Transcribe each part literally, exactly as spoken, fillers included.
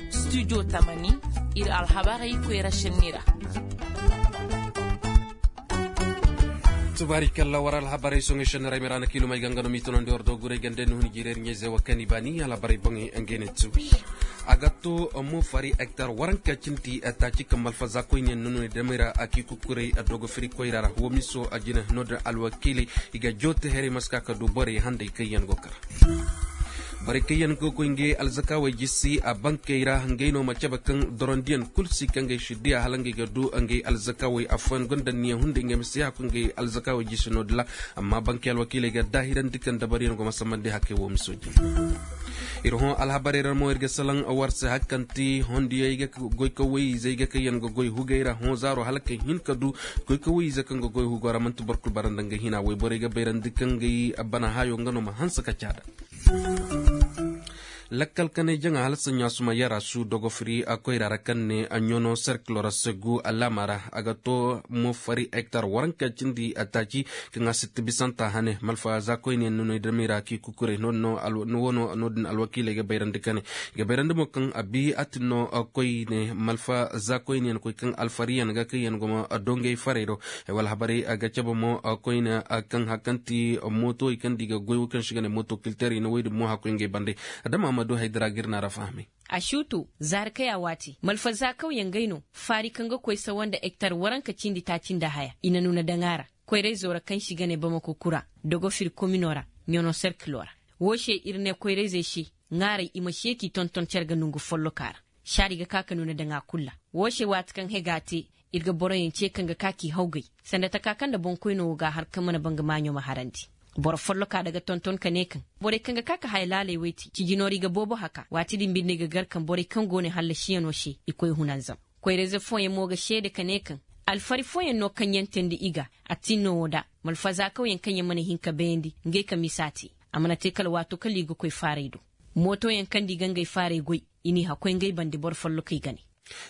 Studio tamani, ir alhabarey koyra šenni ra. Tubaari kalla war alhabarey soŋey šenni ra ay miraana kiilumey ga nga no m'i tunandi war dogurey gande ni hun jireer ɲayze wa kani baani alhabarey boŋey ngey ne tubi. A ga to mo fari hektar waranka cindi taaci kaŋ malfa za koyne no no damey ra a k'i kukurey a dogo firi koyra ra wo miso a jine no-din alwakiiley i ga joote herey ma si ka ka du borey handay kaŋ yaŋ go kar. Borey kaŋ yaŋ go koy ngey alzakaawey jisi a bankey ra ngey no ma cabe kaŋ dorondiyaŋ kul si kaŋ ngey si diya hala ngey ga du ngey alzakaawey affooyaŋ gonda niya hunday ngey ma si haku ngey alzakaawey jisi no-din ra. Amma bankey alwakiiley ga daahirandi kaŋ dabariyaŋ go ma sammandi hakey wo miso jine. Ir hõ alhabarey ra mo ir ga salaŋ war se hari kaŋ ti hondiyey ga goy ka woy-izey ga kaŋ yaŋ ga goy hugey ra hõ zaaro hala ka hin ka du goy ka woy-ize kaŋ ga goy hugo ra manti boro kul bara nda nga hina woy borey ga bayrandi kaŋ ga i bana hayo nga no ma hanse ka caada. Lakkal kanay jaŋa hala saɲɲa suma yara su dogo firi a koyra ra kaŋ ne a ɲono serkilo ra segu alaama ra a ga to mo fari hektar waranka cindi a taaci kaŋ a sitti bisanta hane malfa za koyne no no i damey ra k'i kukurey no-din no alwakiiley ga bayrandi kane. I ga bayrandi mo kaŋ a bi a tin no koyne malfa za koyne yaŋ koy kaŋ alfariyaŋ ga kaŋ yaŋ go ma dongey farey do. Wala habarey a ga cabe mo koyne kaŋ hari kaŋ ti mooto i kaŋ di ga goy wo kaŋ si ga ne mooto kilter i na woy din mo hakoy ngey bande. Adama ma du haydara ga ir na ra fahamay. A suutu zaari kay a waati malfa za kawyaŋ gay no faari kaŋ ga koy sawa nda hektar waranka cindi taaci nda haya i na nuuna daŋ a ra. Koyrayzo ra kaŋ si ga ne bamako kura dogo firi komino ra ɲono serkilo ra. Woo se ir ne koyrayzey se ŋaaray i ma seeki tonton cere ga nongu folloka ra. Saari ga ka ka nuuna daŋ a kul ra. Woo se waati kaŋ hega te ir ga boroyaŋ ce kaŋ ga ka k'i hawgay sanda taka kaŋ nda boŋkoyno woo ga a har kaŋ mana baŋ ga maaɲo ma harandi. Boro folloka daga tonton ka ne kaŋ borey kaŋ ga ka ka haya laaley wey te cijinoori ga boobo haka waati din binde i ga gar kaŋ borey kaŋ go ne hallasiyaŋo se i koy hunanzam. Koyrayze fooyaŋ mo ga seede ka ne kaŋ alfari fooyaŋ no kaŋ yaŋ teendi i ga. A tin no woo da malfazaakawyaŋ kaŋ yaŋ mana hin ka bayandi ngey ka misa te. A mana te kala waato kala i ga koy faaray do. Mootoyaŋ kaŋ nda i ga ngey faaray goy i n'i hakoy ngey bande boro follokey ga ne.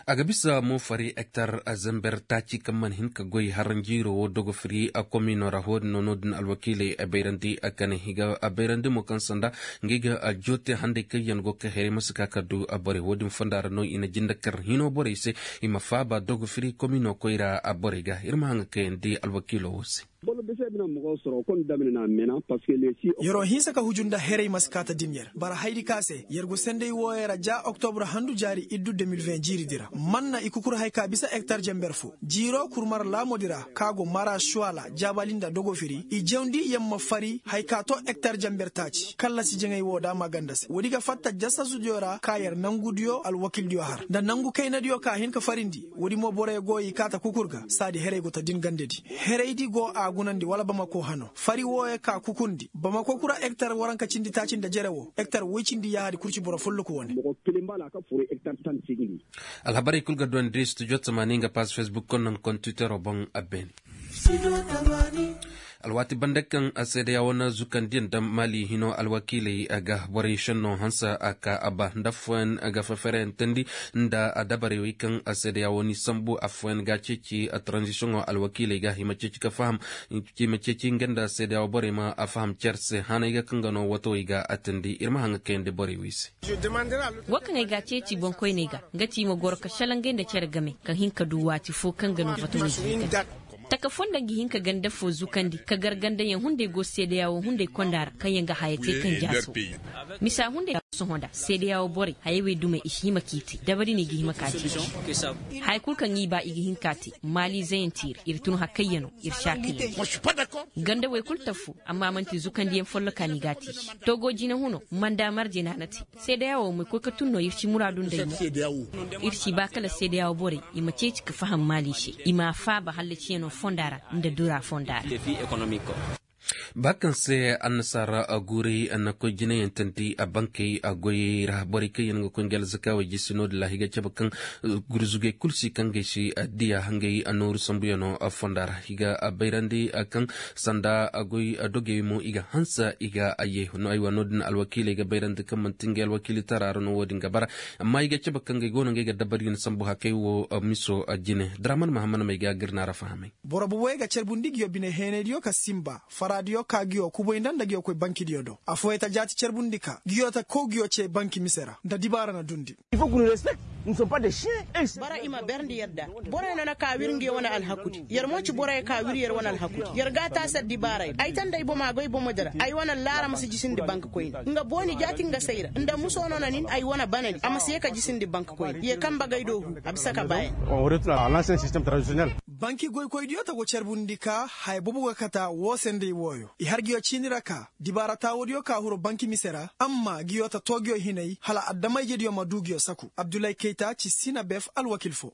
A ga bisa mo fari hektar zember taaci kaŋ mana hin ka goy haranjiiro wo dogo firi a komino ra wo-din no no-din alwakiiley a bayrandi a kane i ga a bayrandi mo kaŋ sanda ngey ga a joote handay kaŋ yaŋ go ka heray ma si ka ka du a borey wo-din fonda ra no i na jinde kar hino borey se. I ma faaba dogo firi komino koyra a borey ga ir ma haŋa kayandi alwakiilo wo se. Yer'o hinsa ka huju nda heray ma si kaata din yer bara haydi ka se yer go senday wooyey ra ja oktobra handu jaari iddu deux mille vingt jiiridi ra man na i kukur hay ka bisa hektar jamber fo jiiro kurmar laamodi ra ka go mara suwala jaabali nda dogofiri i jawndi yer ma fari hay ka to hektar jamber taaci kallasi jaŋay woo da maganda se woodi ga fatta jasasudiyo ra ka yer nangudiyo alwakildiyo har nda nangu kaynadiyo ka hin ka farindi woodi mo borey go i kaata kukur ga saadi heray go ta din gandedi. Heraydi go a gunandi wala bamako hano fari wooyo ka kukundi bamako kura hektar waranka cindi taaci nda jere wo hektar woy cindi yaahadi kurci boro folloku wane. Alhabarey kul ga duwandi studio tamaani nga paas fesbuk konnan kon twittero boŋ a beene. Alwaati banda kaŋ seedeya wane zukandiyaŋ daŋ maali hino alwakiiley ga borey šenno hanse a ka a ba nda affooyaŋ ga fefereyantandi nda dabarey wey kaŋ seedeya wane sambu affooyaŋ ga a ceeci taranzisiyoŋo alwakiiley ga i ma ceeci ka faham i ma ceeci nga nda seedeya wo borey ma a faham cere se hanay ga kaŋ ga no watawey ga a teendi ir ma haŋ ga kayandi borey wey se. Wo kaŋ ay ga a ceeci boŋkoyney ga nga ti i ma goro ka šalangay nda cere game ka hin ka du waati fo kaŋ ga no watawey ga hin ka taka fonda nga hin ka ganda fo zukandi ka gar gandayaŋ hunday go seedeya wo hunday konda ra kaŋ yaŋ ga haya te kaŋ jaaso. Misa hunday sohõ nda seedeya wo borey hayey wey dumey i si hima k'i te dabari no i ga hima ka te. Haya kul kaŋ i ba i ga hin ka te maaliizeyaŋ tiiri ir tun hakayyaŋo ir saakayyaŋo. Ganda wey kul tafu amma man'ti zukandiyaŋ folloka no i ga a te. Togo jine huno manda marje no a na te. Seedeya wo ma i koy ka tun no ir si muraadu nda ay mo. Ir si ba kala seedeya wo borey i ma ceeci ka faham maali se i m'a faaba hallaciyano fonda ra nda dura fonda ra. Ba kaŋ se annasaara guuray na koy jinayaŋ tandi a bankey a goyey ra borey kaŋ yaŋ ga koy nga alzakaawey jisi no-din ra i ga cabe kaŋ gurzugey kul si kaŋ gay si diya ngey nooru sambuyano fonda ra i ga bayrandi kaŋ sanda goy dogey mo i ga hanse i ga ye no aywa no-din alwakiiley ga bayrandi kaŋ manti ngey alwakiili tara ra no wo-din ga bara. Amma i ga cabe kaŋ gay go no ngey ga dabari na sambu hakey wo miso jine draman mahammad may ga gir na ra fahamay. Boro boboyey ga carbundi nguyo bine heenaydiyo ka sinba faraadiyo. Ka ngiyo kubay nda nda ngiyo koy bankidiyo do affooyaŋ ta jaati carbundi ka ngiyo ta kow ngiyo cee banki mise ra nda dibaara na dundi. Boro i ma berndi yadda. Boroyaŋ no na ka wir ngiyo wane alhakudi yer mo ci boroyaŋ ka wir yer wane alhakudi. Yer ga a taasi addibaarey ra ay ta nda ay bomo a go ay bomodi ra ay wane allaara ma si jisindi bank koyne. Nga booni jaati nga se ay ra nda muso no na nin ay wane banadi a ma si ye ka jisindi bank koyne ye kaŋ bagay do hu. A bisa ka baayaŋ. Banki goykoydiyo ta go carbundi ka haya boobo ga kata woo se nda i wooyo i har ngiyo ciini ra ka dibaara taawoodiyo ka huru banki mise ra amma ngiyo ta too ngiyo hinay hala adama-ijediyo ma duu ngiyo saku abdulay kayta ci sinabef alwakil foo.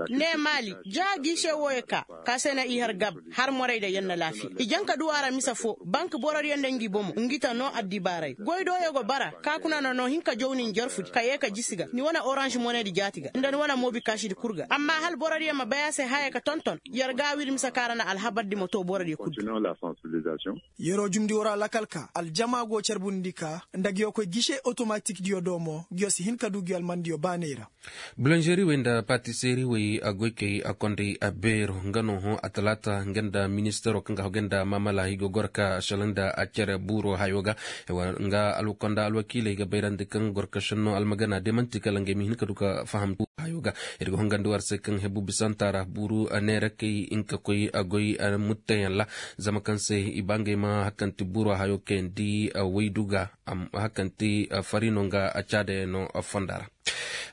Ne maali ja giise wooyo ka ka se na i har gab har morayda yer na laafiya i jaŋ ka duu a ra mise foo bank borodiyo nda ngi bomo ngi ta noo addibaarey goydooyo go bara ka kuna na noo hin ka jawni njarfudi ka yee ka jisi ga ni wane oranž monedi jaati ga nda ni wane moobikaasidi kul ga amma hala borodiyo ma bay a se haya ka tonton. Yer ga a wiri mise ka ra na alhabardi ma too borodiyo kul. Yeroo jumndi woo ra lakal ka aljama go carbundi ka nda ngiyo koy gise otomatikdiyo do mo ngiyo si hin ka duu ngiyo almandiyo baaney ra. Bulanžeriwey nda patiseriwey goykey a konday a beero nga no hõ a talaata nga nda ministaro kaŋ ga hagu nda maamala i go goro ka šalaŋ nda a cere buuro hayo ga. Nga alkonda alwakiiley ga bayrandi kaŋ goro ka šenno almagana de man'ti kala ngey ma hin ka du ka fahamtu hayo ga. Ir ga hongandi war se kaŋ hebu bisanta ra buuru neerakey hinka koy a goy muttayaŋ ra zama kaŋ se i ba ngey ma hakanti buuro hayo kayandi waydu ga. Hakanti fari no nga caadayaŋ no fonda ra.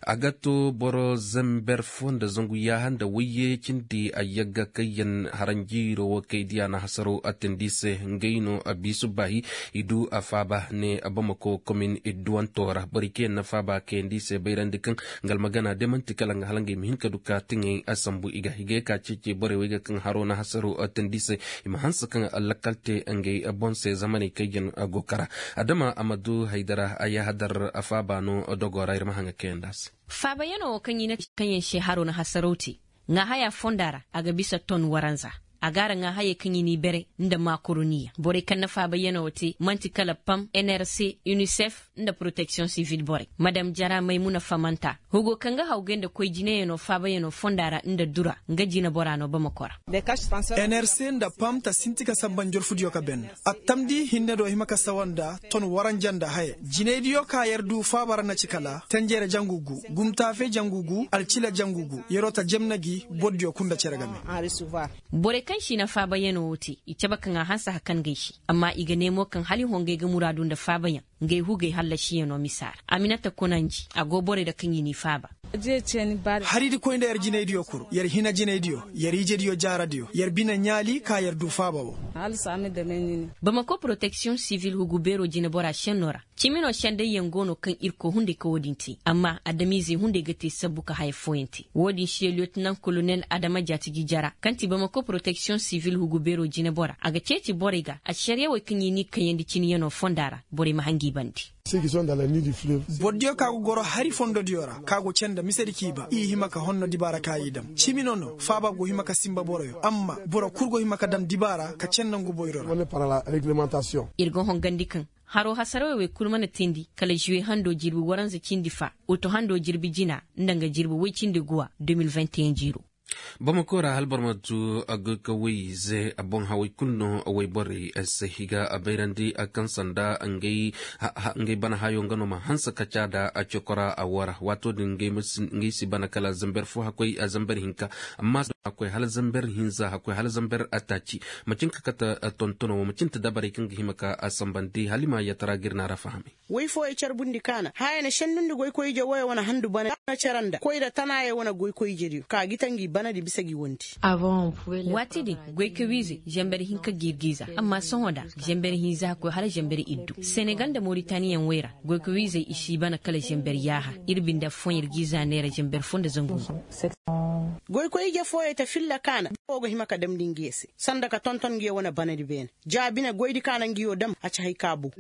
A ga to boro zamber fo nda zangu yaaha nda wayye cindi a yagga kayyaŋ haranjiiro wo kay diya na hasaro a tindi se ngey no a biisu baahi. I du a faaba ne bamako komin idduwanto ra borey kayyaŋ na faaba kayandi se bayrandi kaŋ nga almagana de man'ti kala nga hala ngey ma hin ka du ka tiŋey a sambu i ga i ga ye ka ceeci borey wey ga kaŋ haro na hasaro a tindi se. I ma hanse kaŋ lakkal te ngey boŋ se zamaney kayyaŋ go kara. Adama a ma du haydara a yahadar a faaba no dogo ra ir ma haŋa kayandi a se. Faabayanoo wo kaŋ i na ci kaŋyaŋ se haro na hasaraw te ŋaahaya fonda ra a ga bisa ton waranza. A ga a ra ŋaahayey kaŋ i n'i bere nda makoroniya borey kaŋ na faabayanoo wo te man'ti kala pam nrc, unicef, nda poroteksiyoŋ sivil borey madam jara maymuna famanta hugo kaŋ ga hawgay nda koy jinayanoo faabayanoo fonda ra nda dura nga jineboraa no bamako ra. Nrc nda pam ta sinti ka samba njorfudiyo ka ben. Attamdi hinne do hima ka sawa nda ton waranja nda haya jinaydiyo ka yer du faaba ra na ci kala tenjere jangu gu gumtaafe jangu gu alcila jangu gu yeroo ta jemna gi bordiyo kul nda cere game. Borey kaŋ si na faabayanoo wo te i cabe kaŋ a hanse hakan gay se. Amma i ga ne mo kaŋ hala i hongay ga muraadu nda faabayaŋ ngey hugey hallasiyanoo misa ra aminata konanji a go borey ra kaŋ i n'i faaba. Haridi koy nda yer jinaydiyo kul yer hina jinaydiyo yer ijediyo jaaradiyo yer bine ɲaali ka yer du faaba wo. Bamako poroteksiyoŋ sivil hugu beeroo jineboraa šennoo ra ciminoo sendayyaŋ go no kaŋ ir koo hunday ka wo-din te amma adamiizey hunday ga te sabbu ka haya fooyaŋ te wo-din se liyotinant kolonel adama jaatiji jara kaŋ ti bamako poroteksiyoŋ sivil hugu beeroo jineboraa a ga ceeci borey ga ašariyawey kaŋ i n'i kayandi ciniyanoo fonda ra borey ma hangi bande. Bordiyo ka go goro hari fondodiyo ra ka go cee nda misedi k'i ba i hima ka honno dibaara ka i dam cimi no no faaba go hima ka sinba boroyo amma boro kul go hima ka dam dibaara ka cee nda ngu boyro ra. Ir ga hongandi kaŋ haroo hasarawey wey kul mana teendi kala žuwe handoo jirbi waranza cindi faa utu handoo jirbi jina nda nga jirbi woy cindi guwa de mil vingt-et-un jiiroo. Bamako ra hala boro ma tu goykawey ize boŋ hawey kulu no wayborey se i ga bayrandi kaŋ sanda ngey bana hayo nga no ma hanse ka caada cokora woo ra waato din ngey si bana kala zamber fo hakkoy zamber hinka amma hakkoy hala zamber hinza hakkoy hala zamber taaci. Macin ka kate tontono wo macin ta dabarey kaŋ ga hima ka sambandi hala i ma yatara ga ir na ra fahamay. Woy fooyey carbundi kaana haya na sendundi goykoy ije wooyo wane handu bana na cere nda koyra tanaayey wane goykoy ijediyo ka gi ta ngi banadi bisa gi wondi. Waati din goykoy wiizey zamber hinka gi ir g'i za amma sohõ nda zamber hinza koy hala zamber iddu senegal nda moritaniyaŋ wey ra goykoy wiizey i si bana kala zamber yaaha. Ir binda fooyaŋ ir g'i za neera zamber fo nda zangu. Goykoy ije fooyey ta filla kaana boro go hima ka damndi ngiyo se sanda ka tonton ngiyo wane banadi beene. Ja bine goydi ka na ngiyo dam a ci hay ka bu.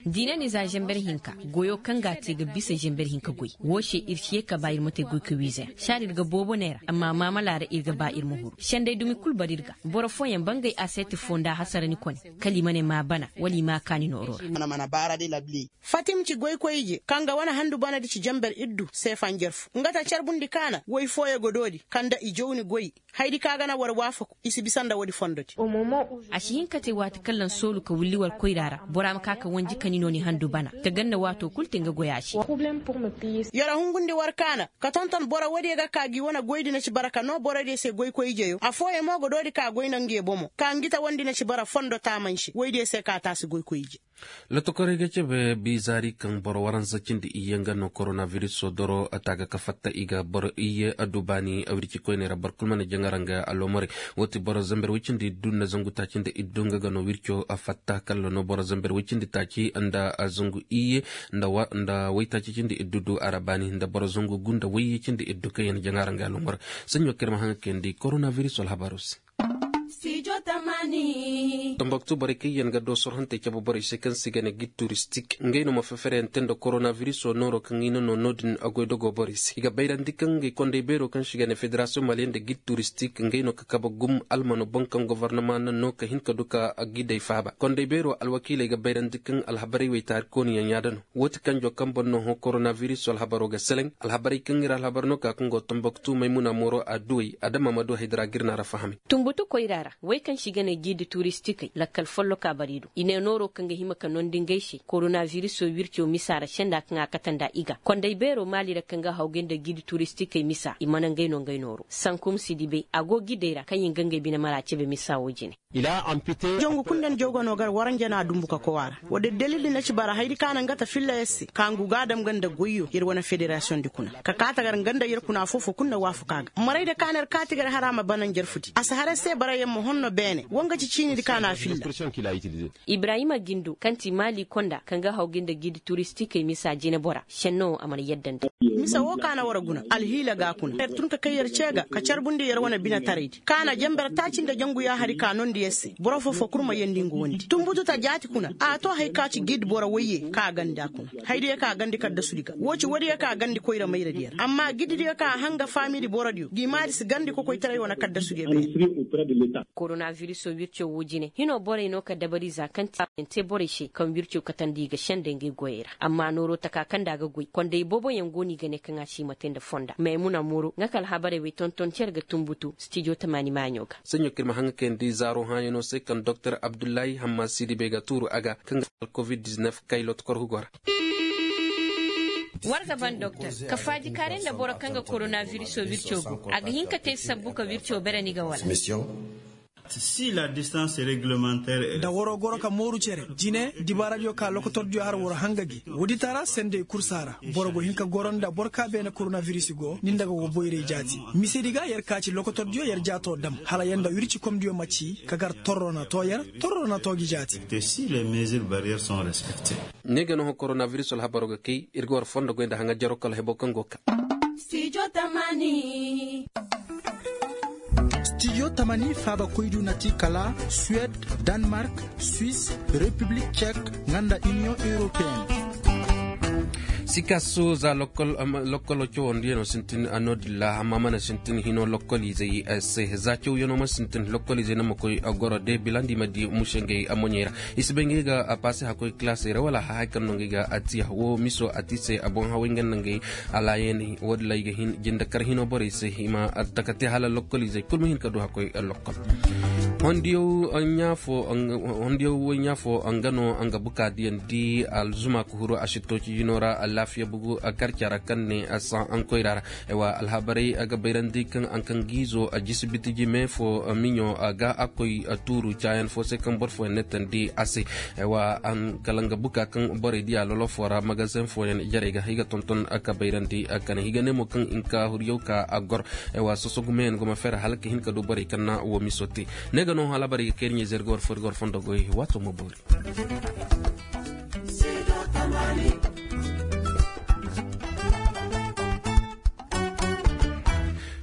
Diina ni za zamber hinka goyo kaŋ ga a te ga bisa zamber hinka goy woo se ir si ye ka ba ir ma te goy ka wiize ra saada ir ga boobo neera amma maamala ra ir ga ba ir ma huru senday dumi kul bar ir ga. Boro fooyaŋ bangay aseeti foo nda hasara ni kone kala i ma ne ma a bana wala i ma a kaani nooroo ra. Fatim ci goykoy ije kaŋ ga wane handu banadi ci zamber iddu seefa njarfu nga ta carbundi kaana woy fooyaŋ. Doodi ka nda i jawni goy. Haydi ka ga na war waafaku i si bisa nda woodi fondodi. A si hin ka te waati kaŋ laŋ soolu ka willi war koyra ra bora ma ka ka wanji ka ni no ni handu bana. Ka ganda waato kulu te nga goya se. Yara hungundi war kaana ka tonton boro woodiyo ga ka gi wane goydi na ci bara ka no borodiyo se goykoy ijeyo affooyaŋ mo ga doodi ka goy nda ngiyo bomo ka ngi ta wondi na ci bara fondo taamanse woydiyo se ka taasi goykoy ije. Lotokorey ga cebe biizaari kaŋ boro waransa cindi iyye nga no koronabiriso doro taaga ka fatta i ga boro iyye addu baani wirci koyney ra boro kulu mana jaŋ araŋ ga alomorey. Wo ti boro zamber woy cindi iddu nda zangu taaci nda iddu nga ga no wirco fatta kalla no boro zamber woy cindi taaci nda zangu iyye nda woy taaci cindi iddu du a ra baani nda boro zangu gu nda woyye cindi iddu kaŋ yaŋ jaŋ araŋ ga alomorey. Saɲɲo kaŋ ir ma haŋ ga kayandi koronabiriso alhabaaro se. Tomboktu borey kaŋ yaŋ ga doosor hantey cabe borey se kaŋ se i ga ne gid turistik ngey no ma fefereyaŋ te nda koronabiriso nooro kaŋ i na no no-din a goy dogo borey se i ga bayrandi kaŋ ngey konday beero kaŋ se i ga ne federasiyoŋ maliyeŋ nda gid turistik ngey no ka kabe gum almano boŋ kaŋ gofornama na no ka hin ka du ka gidey faaba konday beero alwakiiley ga bayrandi kaŋ alhabarey wey taari kooniyaŋ yaada no. Woo ti kanjo kaŋ boŋ no hõ koronabiriso alhabaro ga seleŋ alhabarey kaŋ ir alhabar no ka kaŋ go tomboktu maymuna mooro adduwey adama ma du haydara ga ir na ra fahamay. Tumbutu koyra ra wey kaŋ se i ga ne giidi turistikey lakkal folloka bari do i ne nooro kaŋ ga hima ka nondi ngey se koronabiriso wirco misa ra senda kaŋ a kate nda i ga konday beero maali ra kaŋ ga hawgay nda giidi turistikey misa i mana ngey no ngey nooro sankum si di bay a go giidey ra kaŋ i nga ngey bine mara cebe misa wo jine. Jangu kulu nda ni jaw ga no gar waranja no a dumbu ka kow a ra. Woodi dalil di na ci bara hayadi ka naŋ ga ta filla yer se ka ngu ga a dam ga nda goyyo yer wane federasiyoŋ di kuna ka kaati gar nga nda yer kuna afoo-foo kulu na waafaku a ga maray da ka na yer kaati gar hara ma bana njarfu di a si har yer se barayaŋ ma honno beene wo nga ci ciini di ka na a filla. Ibrahima gindo kaŋ ti maali konda kaŋ ga haw ga nda giidi turistikey misa jinebora senno a mana yadda nda. Mise woo ka na war guna alhiila ga a kuna yer tun ka kay yer ce ga ka carbundi yer wane binetaray di ka na jenber taaci nda jangu yaahari ka noondi yer se boro foo-foo kul ma yeendi nga wondi tumbutu ta jaati kuna a to haya ka ci giidi boro woyye ka a gandi a kuna hayadiyo ka a gandi kaddasudi ga woo ci woodiyo ka a gandi koyra mayradiyo ra amma giididiyo ka a hanga faamidi borodiyo gi maadi si gandi kokoytaray wane kaddasudiyo beene. Koronavirisoo wirco woo jine hinoo borey no ka dabari za kaŋ ti a ma yaŋ te borey se kaŋ wirco katandi i ga sendey ngey goyey ra amma nooroo taka kaŋ nda a ga goy konday booboyaŋ go no i ga ne kaŋ a si hima te nda fonda maymuna mooro nga ka alhabarey wey tonton cer ga tunbutu stijo tamaani maaɲo ga. Saɲɲo kaŋ ir ma haŋ ga kayandi zaaro hãayanoo se kaŋ doktor abdullahi hamma sidibe ga tuuru a ga kaŋ ga alkovid diznef kay lotokorhu go ra. War ga ban doktor ka faajikaaray nda boro kaŋ ga koronavirisoo wirco go a ga hin ka te sabbu ka wirco bere ni ga wala? Si la distance réglementaire. Da waroo goro ka mooru cere jine dibaaradiyo ka lokotordiyo har war hanga gi wooditara sendey kursa ra. Boro go hin ka goro nda boro ka beene koronavirisi go ni nda ga go boyray jaati. Misedi ga yer ka ci lokotordiyo yer jaatoo dam hala yer nda wircikomdiyo ma ci ka gar torro na too yer torro na too gi jaati. Ne ga no ho koronavirisoo alhabaroo ga kay ir ga war fondo goy nda haŋa jaroo kala heboo kaŋ go ga ka. Stijo tamani faaba koydu na ti kala suwed, danmark, swis, repiblik cek, nga nda iniyoŋ europeen. Sikaasu za lokkolo cawandiyanoo sintin a noodin ra amma mana sintin hinoo lokkoliizey se za cawyanoo ma sintin lokkoliizey no ma koy goro de bilandi ma di muse ngey moɲey ra. I si bay ngey ga paase hakkoy kilaasey ra wala haya kaŋ no ngey ga atiya woo miso ati se a boŋ haway nga nda ngey. Alaayaney woodin ra i ga hin jindakar hinoo borey se i ma taka te hala lokkoliizey kul ma hin ka du hakkoy lokkol. Hondiyaw ɲaafo nga no nga bukaadiyaŋ di alzuma ka huru a si tooci jinoo ra alaafiya bugu karca ra kaŋ ne a saŋ aŋkoyra ra. Aywa alhabarey a ga bayrandi kaŋ aŋkangiizo a jisi bitiji mee fo miɲo ga a koy tuuru caayan fo se kaŋ boro fooyaŋ ne tandi a se. Aywa kala nga buka kaŋ borey di a lolo fo ra magazeŋ fooyaŋ jarey ga i ga tonton ka bayrandi kane i ga ne mo kaŋ i na ka huryaw ka a gor. Aywa sosogu meeyaŋ go ma fere hala ka hin ka du borey kaŋ na wo miso te. Ne ga no alhabarey ga kay ir ɲeezer ga war fo ir ga war fondo goy waato ma boori.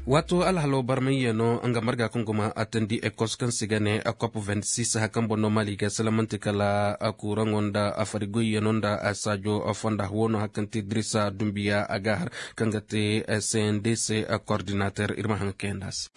Waato alhaloo barmayyanoo nga marga kaŋ go ma attandi ekos kaŋ se i ga ne kop vingt six haya kaŋ boŋ no mali ga salamanti kala kuuraŋo nda farigoyyanoo nda saajo fonda woo no haya kaŋ ti dirisa dumbiya a ga a har kaŋ ga te cndc kordinater ir ma haŋ ga kayandi a se.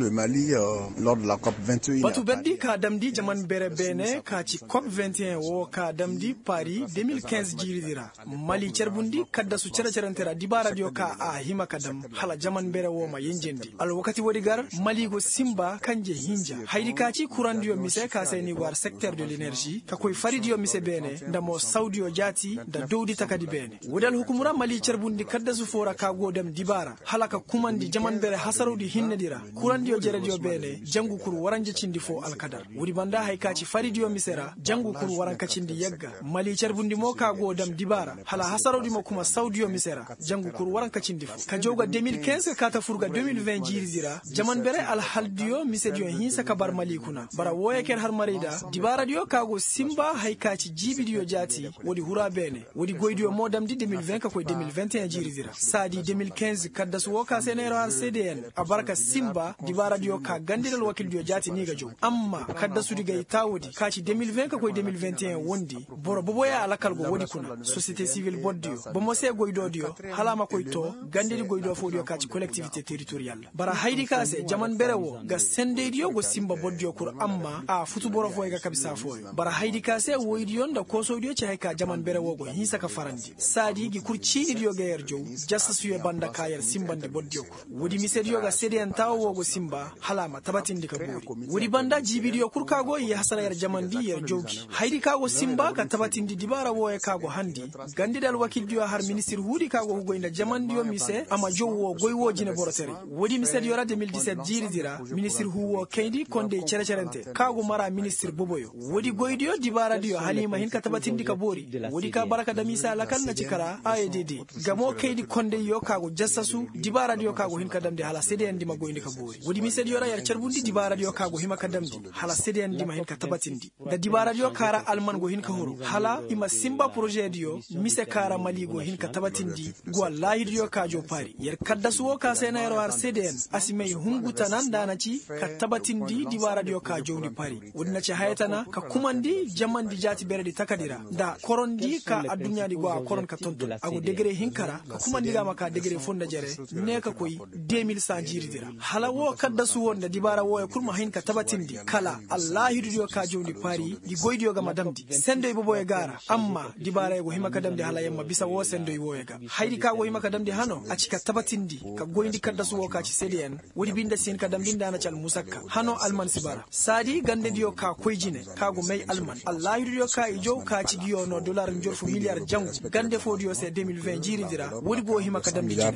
Batu berdi ka damndi jaman bere beene ka ci kop vingt et un woo ka damndi pari deux mille quinze jiiridi ra. Mali carbundi kaddasu cere-cerente ra dibaaradiyo ka a hima ka dam hala jaman bere woo ma yenjendi. Alwakati woodi gar mali go sinba kanje hinja haydi ka ci kurandiyo mise ka se ni war sekter de lenerži ka koy faridiyo mise beene nda mo sawdiyo jaati nda dowdi takadi beene. Woodi alhukumu ra mali carbundi kaddasu foo ra ka go dam dibaara hala ka kumandi jaman bere hasarawdi hinnedi ra. Kurandiyo jerediyo beene jangu kur waranja cindi foo alkadar. Woodi banda haya ka ci faridiyo mise ra jangu kur waranka cindi yagga mali carbundi mo ka go dam dibaara hala hasarawdi ma kuma sawdiyo mise ra. Jangu kur waranka cindi foo ka jaw ga de mil kinz ka kaata fur ga de mil vingt jiiridi ra. Jaman bere alhaldiyo misediyo hinsa ka bar mali kuna bara wooyo ka yer har maray nda dibaaradiyo ka go sinba haya ka ci jiibidiyo jaati. Woodi hura beene woodi goydiyo mo damndi de mil vingt ka koy de mil vingt et un jiiridi ra saadi de mil kinz kaddasu woo ka se neeroo har cdn. A bara ka sinba dibaaradiyo ka gandedi alwakildiyo jaati ni ga jaw amma kaddasudi gay taawodi ka ci de mil vingt ka koy de mil vingt et un wondi. Boro boboyaa alakal go woodi kuna sosiyete sivil bordiyo bomo se goydoodiyo hala a ma koy too gandedi goydoo foodiyo ka ci kolektivite teritoriyal. Bara haydi ka se jaman bere woo ga sendaydiyo go sinba bordiyo kul amma a futu boro fooyo ga kabisaa fooyo bara haydi ka se woydiyo nda koosowdiyo ci haya ka jaman bere woo go hinsa ka farandi saadi ngi kul ciinidiyo ga yer jaw. Jasasuyo banda ka yer sinbandi bordiyo kul woodi misediyo ga sedeyan taawo woo go sinba hala a ma tabatindi ka boori. Woodi banda jiibidiyo kul ka go i hasara yer jamandi yer jaw gi haydi ka go sinba ka tabatindi dibaara wooyo ka go handi. Gandedi alwakildiyo har ministir huudi ka go hugoy nda jamandiyo mise a ma jaw woo goy woo jine borotaray. Woodi misediyo ra de mil diset jiiridi ra ministir huu woo kayndi kondey cere-cerente ka go mara ministir boboyo. Woodi goydiyo dibaaradiyo hala i ma hin ka tabatindi ka boori. Woodi ka bara ka dam i se alakal na ci kara a e d d gamo kayndi kondeyyo ka go jasasu dibaaradiyo ka go hin ka damndi hala sedeyandi ma goyndi ka boori woodi misediyo ra yer carbundi dibaaradiyo ka go hima ka damndi hala sedeyandi ma hin ka tabatindi. Nda dibaaradiyo ka ra alman go hin ka huru hala i ma sinba porožediyo mise ka ra mali go hin ka tabatindi. Go allaahidiyo ka jaw paari yer kaddasu woo ka se na yeroo har sedeyan a si may hungu tana nda a na ci ka tabatindi dibaaradiyo ka jawndi paari. Woodi na ci haya tana ka kumandi jamandi jaati beredi takadi ra nda korondi ka adduɲɲaadi go a koron ka tonton a go degere hinka ra ka kumandi ga a ma ka degere foo nda jere. Ne ka koy de mil san jiiridi ra hala woo kaddasu woo nda dibaara wooyo kul ma hin ka tabatindi kala allaahidudiyo ka jawndi paari. Ngi goydiyo ga ma damndi sendoy boboyo ga a ra amma dibaarayo go hima ka damndi hala yer ma bisa woo sendoy wooyo ga. Hayadi ka go hima ka damndi hano a ci ka tabatindi ka goyndi kaddasu woo ka ci sedeyan. Woodi binde si hin ka damndi nda a na ci almusakka hano alman si bara saadi gandediyo ka koy jine ka go may alman allaahidudiyo ka i jaw ka ci ngiyo noo dolar njorfu miliyar jangu gande foodiyo se de mil vingt jiiridi ra woodi go hima ka damndi jine.